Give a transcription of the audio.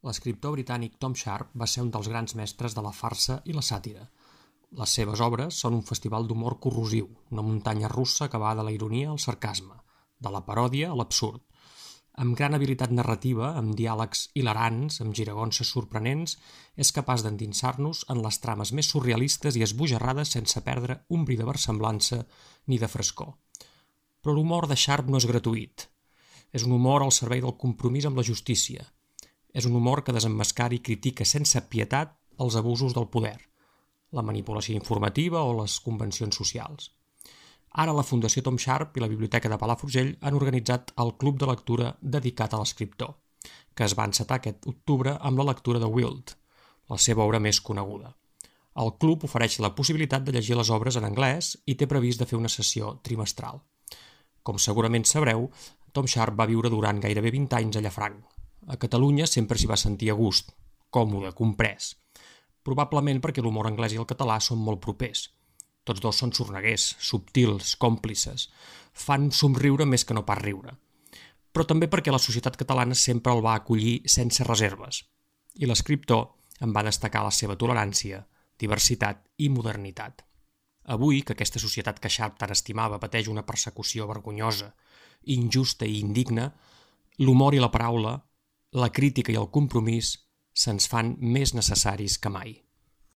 L'escriptor britànic Tom Sharp va ser un dels grans mestres de la farsa i la sàtira. Les seves obres són un festival d'humor corrosiu, una muntanya russa que va de la ironia al sarcasme, de la paròdia a l'absurd. Amb gran habilitat narrativa, amb diàlegs hilarants, amb giragonses sorprenents, és capaç d'endinsar-nos en les trames més surrealistes i esbojarrades sense perdre un bri de versemblança ni de frescor. Però l'humor de Sharp no és gratuït. És un humor al servei del compromís amb la justícia. És un humor que desemmascara i critica sense pietat els abusos del poder, la manipulació informativa o les convencions socials. Ara la Fundació Tom Sharp i la Biblioteca de Palafrugell han organitzat el Club de Lectura dedicat a l'escriptor, que es va encetar aquest octubre amb la lectura de Wild, la seva obra més coneguda. El club ofereix la possibilitat de llegir les obres en anglès i té previst de fer una sessió trimestral. Com segurament sabreu, Tom Sharp va viure durant gairebé 20 anys a Llafranc. A Catalunya sempre s'hi va sentir a gust, còmode, comprès. Probablement perquè l'humor anglès i el català són molt propers. Tots dos són sorneguers, subtils, còmplices. Fan somriure més que no pas riure. Però també perquè la societat catalana sempre el va acollir sense reserves. I l'escriptor en va destacar la seva tolerància, diversitat i modernitat. Avui, que aquesta societat que Sharp tant estimava pateix una persecució vergonyosa, injusta i indigna, l'humor i la paraula, la crítica i el compromís se'ns fan més necessaris que mai.